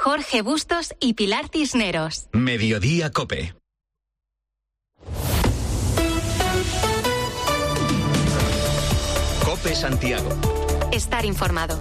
Jorge Bustos y Pilar Cisneros. Mediodía COPE. COPE Santiago. Estar informado.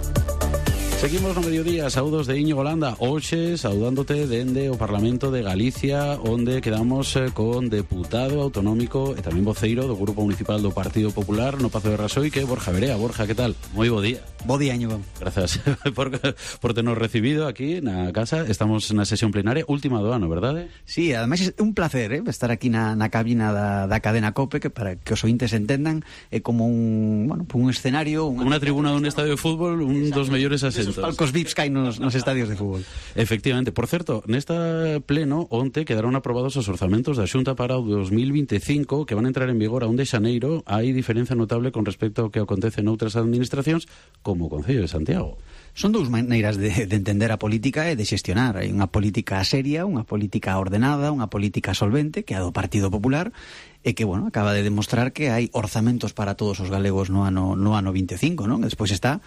Seguimos no mediodía, saúdos de Íñigo Landa. Hoxe, saudándote dende o Parlamento de Galicia, onde quedamos con deputado autonómico e tamén voceiro do Grupo Municipal do Partido Popular no Pazo de Raxoi, que é Borja Verea. Borja, que tal? Moi bo día. Bo día, Íñigo. Gracias por ternos recibido aquí na casa. Estamos na sesión plenaria, última do ano, verdade? Sí, ademais é un placer estar aquí na cabina da cadena COPE, que para que os ointes entendan é como un escenario, unha tribuna dun estadio de fútbol, un dos mellores asentos. Os palcos VIPs que hai nos estadios de fútbol. Efectivamente. Por certo, nesta pleno onte quedaron aprobados os orzamentos da Xunta para o 2025 que van a entrar en vigor a 1 de xaneiro. Hai diferencia notable con respecto ao que acontece noutras administracións como o Concello de Santiago. Son dous maneiras de entender a política e de xestionar. Hai unha política seria, unha política ordenada, unha política solvente, que é a do Partido Popular, e que, acaba de demostrar que hai orzamentos para todos os galegos no ano 25, non? Despois está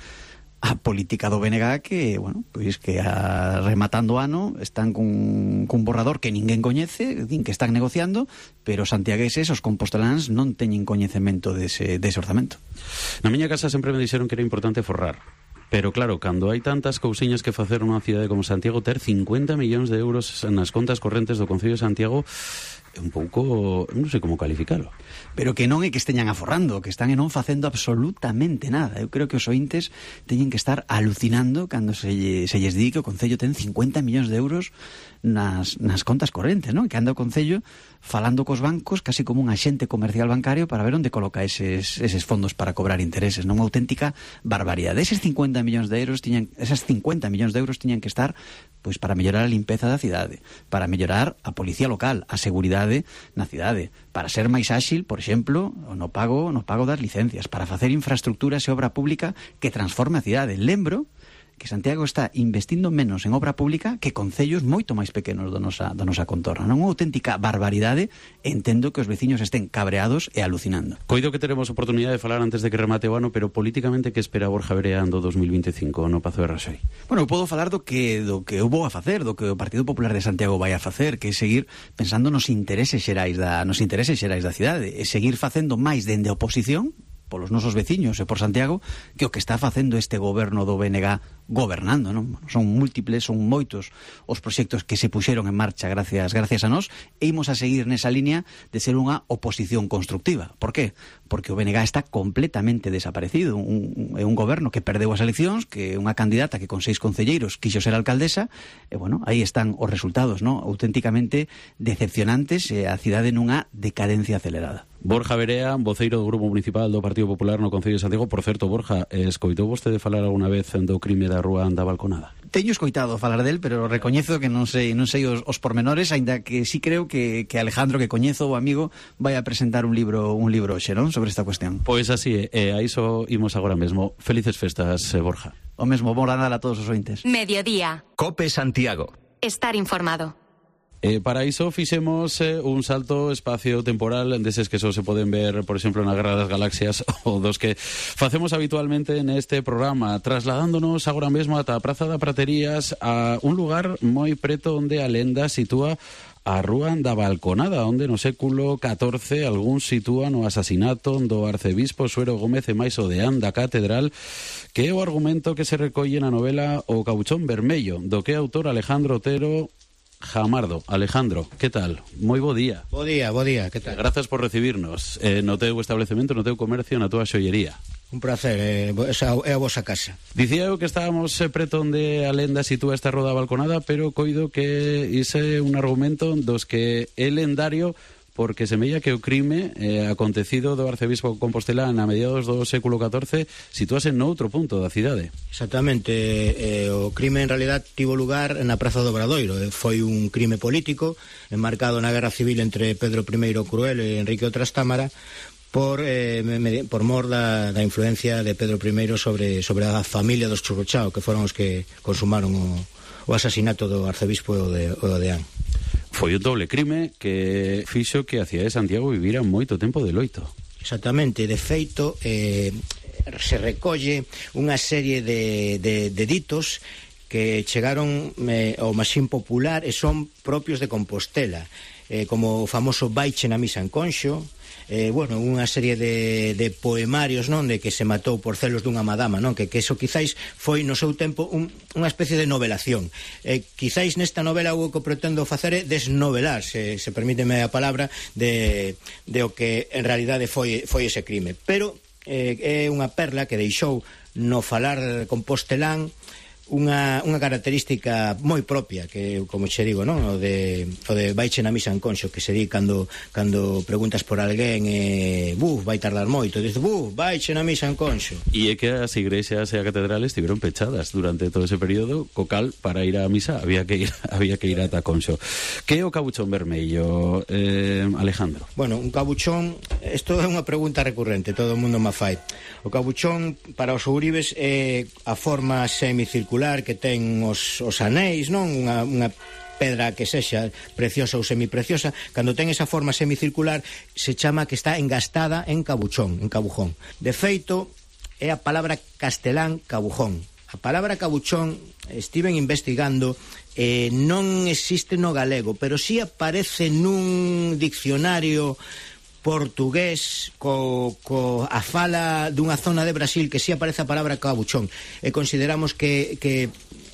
a política do BNG que, que rematando o ano están cun borrador que ninguén coñece, din que están negociando, pero os santiagueses, os composteláns, non teñen coñecemento dese orzamento. Na miña casa sempre me dixeron que era importante forrar. Pero claro, cando hai tantas cousiñas que facer nunha cidade como Santiago, ter 50 millóns de euros nas contas correntes do Concello de Santiago é un pouco, non sei como calificalo. Pero que non é que esteñan aforrando, que están non facendo absolutamente nada. Eu creo que os ointes teñen que estar alucinando cando se lles di que o Concello ten 50 millóns de euros nas contas correntes, non? Que anda o Concello falando cos bancos casi como un axente comercial bancario para ver onde coloca eses fondos para cobrar intereses, non? Unha auténtica barbaridade. Esas 50 millóns de euros tiñan que estar pois para mellorar a limpeza da cidade, para mellorar a policía local, a seguridade na cidade, para ser máis áxil, por exemplo, no pago das licencias, para facer infraestructuras e obra pública que transforme a cidade. Lembro que Santiago está investindo menos en obra pública que concellos moito máis pequenos da nosa contorna. Non é unha auténtica barbaridade. Entendo que os veciños estén cabreados e alucinando. Coido que teremos oportunidade de falar antes de que remate o ano, pero políticamente que espera Borja Verea do 2025 no Pazo de Raxoi? Eu podo falar do que eu vou a facer, do que o Partido Popular de Santiago vai a facer, que é seguir pensando nos intereses xerais da cidade, e seguir facendo máis dende a oposición polos nosos veciños e por Santiago que o que está facendo este goberno do BNG gobernando, non? Son múltiples, son moitos os proxectos que se puxeron en marcha gracias a nós, e imos a seguir nesa línea de ser unha oposición constructiva. Por qué? Porque o BNG está completamente desaparecido. É un goberno que perdeu as eleccións, que é unha candidata que con 6 concelleiros quixo ser alcaldesa, e aí están os resultados, non? Auténticamente decepcionantes, e a cidade nunha decadencia acelerada. Borja Verea, voceiro do Grupo Municipal do Partido Popular no Concello de Santiago. Por certo, Borja, escoitou vostede falar alguna vez do crime da Rúa da Balconada? Teño escoitado falar del, pero recoñezo que non sei os pormenores, aínda que sí creo que Alejandro, que coñezo, o amigo, vai a presentar un libro hoxe, non? Sobre esta cuestión. Pois así é, a iso imos agora mesmo. Felices festas, Borja. O mesmo, bon Nadal a todos os ointes. Mediodía. COPE Santiago. Estar informado. Para iso fixemos un salto espacio-temporal deses que só se poden ver, por exemplo, na Guerra das Galaxias, ou dos que facemos habitualmente neste programa, trasladándonos agora mesmo ata a Praza da Praterías, a un lugar moi preto onde a lenda sitúa a Rúa da Balconada, onde no século XIV algún sitúan o asasinato do arcebispo Suero Gómez e máis o deán da catedral, que é o argumento que se recolle na novela O Cabuchón Vermello, do que é autor Alejandro Otero Jamardo. Alejandro, que tal? Moi bo día. Bo día, que tal? Grazas por recibirnos no teu establecemento, no teu comercio, na túa xollería. Un placer, é a vosa casa. Dicía eu que estábamos preto onde a lenda sitúa esta Roda Balconada, pero coido que ise un argumento dos que é lendario, porque semella que o crime acontecido do arcebispo compostelán a mediados do século XIV sitúase noutro punto da cidade. Exactamente, o crime en realidad tivo lugar na Praza do Obradoiro. Foi un crime político enmarcado na Guerra Civil entre Pedro I o Cruel e Enrique o Trastámara por mor da influencia de Pedro I sobre a familia dos Churruchao, que foron os que consumaron o asasinato do arcebispo e o deán. Foi un doble crime que fixo que a cidade de Santiago vivira moito tempo de loito. Exactamente, de feito se recolle unha serie de ditos que chegaron ao maxín popular e son propios de Compostela, como o famoso Baiche na misa en Conxo, bueno, unha serie de poemarios, non, de que se matou por celos dunha madama, non, que eso quizáis foi no seu tempo unha especie de novelación. Quizáis nesta novela o que pretendo facer é desnovelar, se permíteme a palabra, de o que en realidade foi ese crime. Pero é unha perla que deixou no falar compostelán unha característica moi propia, que, como che digo, non? O de Baiche na misa en Conxo, que se di cando preguntas por alguén, vai tardar moito, dice, Baiche na misa en Conxo. E é que as igrexas e a catedral estiveron pechadas durante todo ese período, co cal, para ir á misa había que ir ata Conxo. Que é o cabuchón vermello, Alejandro? Bueno, un cabuchón, isto é unha pregunta recurrente, todo o mundo me fai. O cabuchón, para os ouribes, é a forma semicircular que ten os anéis, non? Unha pedra que sexa preciosa ou semipreciosa, cando ten esa forma semicircular se chama que está engastada en cabuchón, en cabujón. De feito, é a palabra castelán cabujón. A palabra cabuchón estiven investigando, non existe no galego, pero si aparece nun diccionario portugués a fala dunha zona de Brasil que si aparece a palabra cabuchón, e consideramos que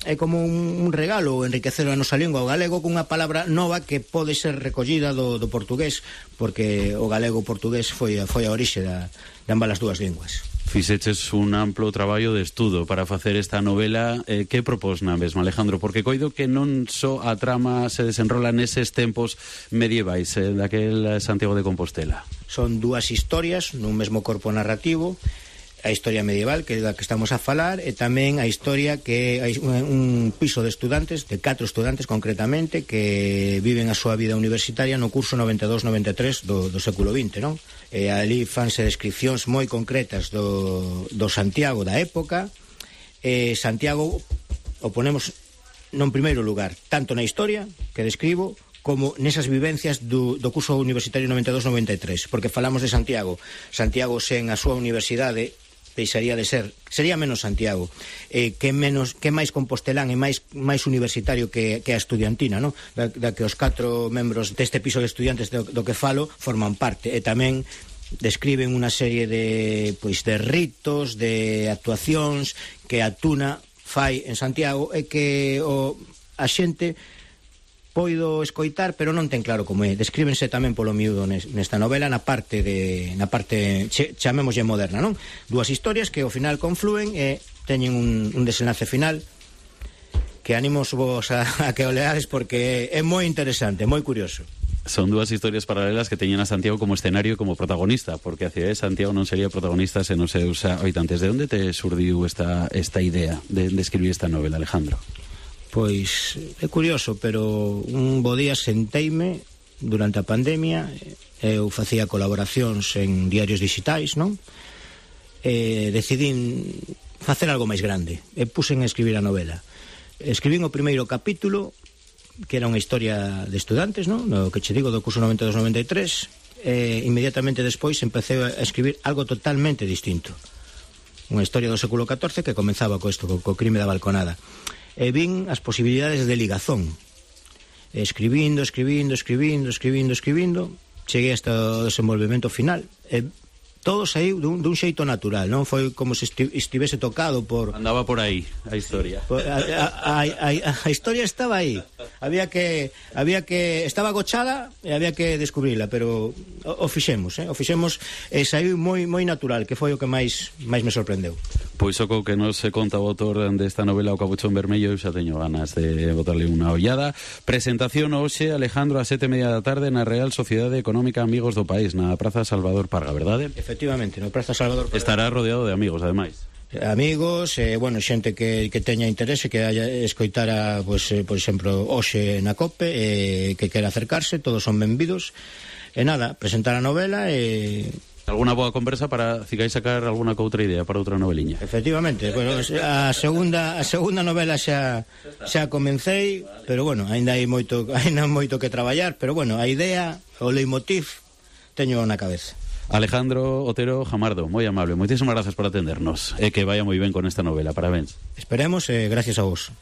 é como un regalo enriquecer a nosa lingua, o galego, cunha palabra nova que pode ser recollida do portugués, porque o galego e o portugués foi a orixe de ambas as dúas linguas. Fixeches un amplo traballo de estudo para facer esta novela. Que propós na mesma, Alejandro? Porque coido que non só a trama se desenrola neses tempos medievais daquel Santiago de Compostela. Son dúas historias nun mesmo corpo narrativo, a historia medieval, que é da que estamos a falar, e tamén a historia que hai un piso de estudantes, de 4 estudantes concretamente, que viven a súa vida universitaria no curso 92-93 do século XX, non? E ali fanse descripcións moi concretas do Santiago da época. Santiago o ponemos non primeiro lugar, tanto na historia que describo, como nesas vivencias do curso universitario 92-93, porque falamos de Santiago sen a súa universidade deixaría de ser, sería menos Santiago, que máis compostelán e máis universitario que a estudiantina, non? Da que os 4 membros deste piso de estudiantes do que falo forman parte, e tamén describen unha serie de ritos, de actuacións que a Tuna fai en Santiago, e que a xente poido escoitar, pero non ten claro como é. Descríbense tamén polo miúdo nesta novela, na parte chamémoslle moderna, non? Dúas historias que ao final conflúen e teñen un desenlace final que animos vos a que o leades, porque é moi interesante, moi curioso. Son dúas historias paralelas que teñen a Santiago como escenario e como protagonista, porque a cidade de Santiago non sería protagonista se non se usa habitantes. De onde te surdiu esta idea de escribir esta novela, Alejandro? Pois é curioso, pero un bo día senteime durante a pandemia, eu facía colaboracións en diarios digitais, non? Decidín facer algo máis grande e puxen a escribir a novela. Escribín o primeiro capítulo, que era unha historia de estudantes, non? No que che digo, do curso 92-93, e inmediatamente despois empecé a escribir algo totalmente distinto. Unha historia do século XIV que comenzaba co crime da balconada. E vin as posibilidades de ligazón, escribindo, cheguei hasta o desenvolvemento final, e todo saiu dun xeito natural, non foi como se estivese tocado por... Andaba por aí a historia. A historia estaba aí, había que estaba agochada e había que descubrila, pero o fixemos, e saiu moi natural, que foi o que máis me sorprendeu. Pois o que non se conta o autor desta novela, O Cabuchón Vermello, eu xa teño ganas de botarle unha ollada. Presentación hoxe, Alejandro, a 7:30 da tarde na Real Sociedade Económica Amigos do País, na Praza Salvador Parga, verdade? Efectivamente, na Praza Salvador Parga. Estará rodeado de amigos, ademais. Amigos, xente que teña interese, que haya escoitara, por exemplo, hoxe na COPE, que quera acercarse, todos son benvidos. E nada, presentar a novela e... Alguna boa conversa para si vais sacar alguna outra idea para outra noveliña. Efectivamente, bueno, a segunda novela xa comecei, pero bueno, ainda hai moito que traballar, pero bueno, a idea, o leitmotiv teño na cabeza. Alejandro Otero Jamardo, moi amable, moitísimas grazas por atendernos, e que vaya moi ben con esta novela, parabéns. Esperemos, gracias a vos.